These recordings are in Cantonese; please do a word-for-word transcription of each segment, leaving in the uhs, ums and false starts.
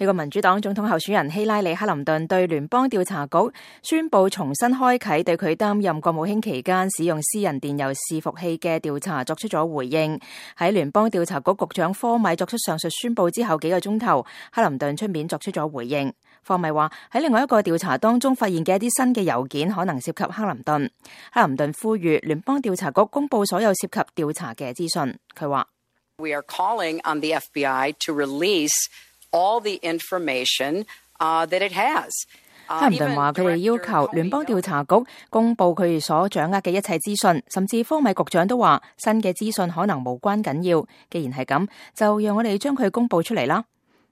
美國民主黨總統候選人希拉里·克林頓對聯邦調查局宣布重新開啟對佢擔任國務卿期間使用私人電郵伺服器嘅調查作出咗回應。喺聯邦調查局局長科米作出上述宣布之後幾個鐘頭，克林頓出面作出咗回應。科米話喺另外一個調查當中發現嘅一啲新嘅郵件可能涉及克林頓。克林頓呼籲聯邦調查局公布所有涉及調查嘅資訊。佢話：We are calling on the F B I to release all the information uh, that it has. 克林頓話：佢哋要求聯邦調查局公布佢哋所掌握嘅一切資訊，甚至科米局長都話新嘅資訊可能無關緊要。既然係咁，就讓我哋將佢公布出嚟啦。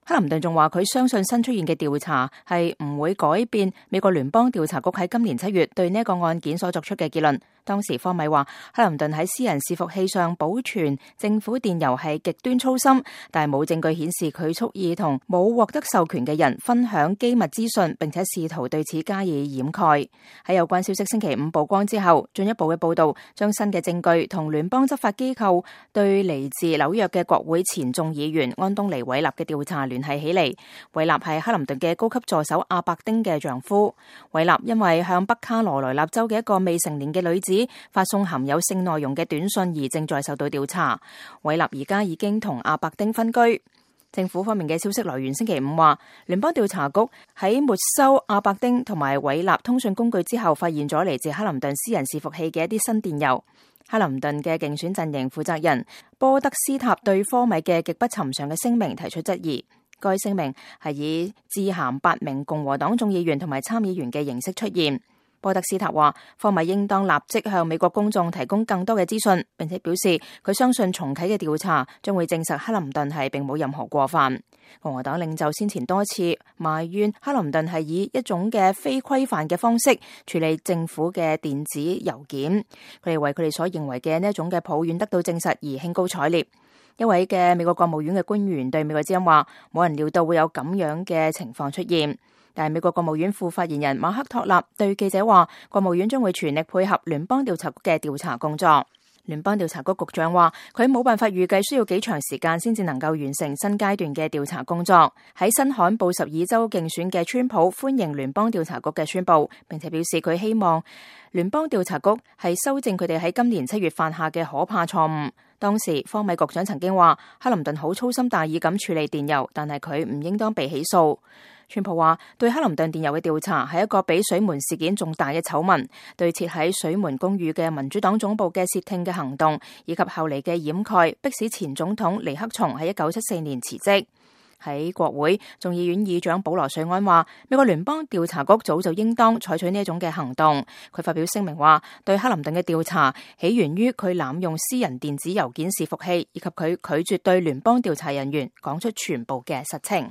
克林頓仲話佢相信新出現嘅調查係唔會改變美國聯邦調查局喺今年七月對呢個案件所作出嘅結論。當時科米話克林頓喺私人伺服器上保存政府電郵係極端粗心，但係冇證據顯示佢蓄意同冇獲得授權嘅人分享機密資訊，並且試圖對此加以掩蓋。喺有關消息星期五曝光之後，進一步嘅報道將新嘅證據同聯邦執法機構對嚟自紐約嘅國會前眾議員安東尼·韋納嘅調查聯繫起嚟。韋納係克林頓嘅高級助手阿伯丁嘅丈夫。韋納因為向北卡羅來納州嘅一個未成年嘅女子發送含有性內容嘅短信而正在受到調查。韋納而家已經同阿伯丁分居。政府方面嘅消息來源星期五話，聯邦調查局喺沒收阿伯丁同埋韋納通訊工具之後，發現咗嚟自克林頓私人伺服器嘅一啲新電郵。克林頓嘅競選陣營負責人波德斯塔對科米嘅極不尋常嘅聲明提出質疑。該聲明係以致函八名共和黨眾議員同埋參議員嘅形式出現。波德斯塔話，科米應當立即向美國公眾提供更多嘅資訊，並且表示佢相信重啟嘅調查將會證實克林頓係並冇任何過犯。共和黨領袖先前多次埋怨克林頓係以一種嘅非規範嘅方式處理政府嘅電子郵件，佢哋為佢哋所認為嘅呢一種嘅抱怨得到證實而興高采烈。一位嘅美國國務院嘅官員對美國之音話，冇人料到會有咁樣嘅情況出現。但係美國國務院副發言人馬克托納對記者話，國務院將會全力配合聯邦調查局嘅調查工作。聯邦調查局局長話，佢冇辦法預計需要幾長時間先至能夠完成新階段嘅調查工作。喺新罕布什爾州競選嘅川普歡迎聯邦調查局嘅宣布，並且表示佢希望聯邦調查局係修正佢哋喺今年七月犯下嘅可怕錯誤。當時科米局長曾經話，克林頓好粗心大意咁處理電郵，但係佢唔應當被起訴。川普話，對克林頓電郵嘅調查係一個比水門事件仲大嘅醜聞，對設喺水門公寓嘅民主黨總部嘅竊聽嘅行動，以及後嚟嘅掩蓋，迫使前總統尼克松喺一九七四年辭職。喺國會，眾議院議長保羅瑞安話，美國聯邦調查局早就應當採取呢一種嘅行動。佢發表聲明話，對克林頓嘅調查起源於佢濫用私人電子郵件伺服器，以及佢拒絕對聯邦調查人員講出全部嘅實情。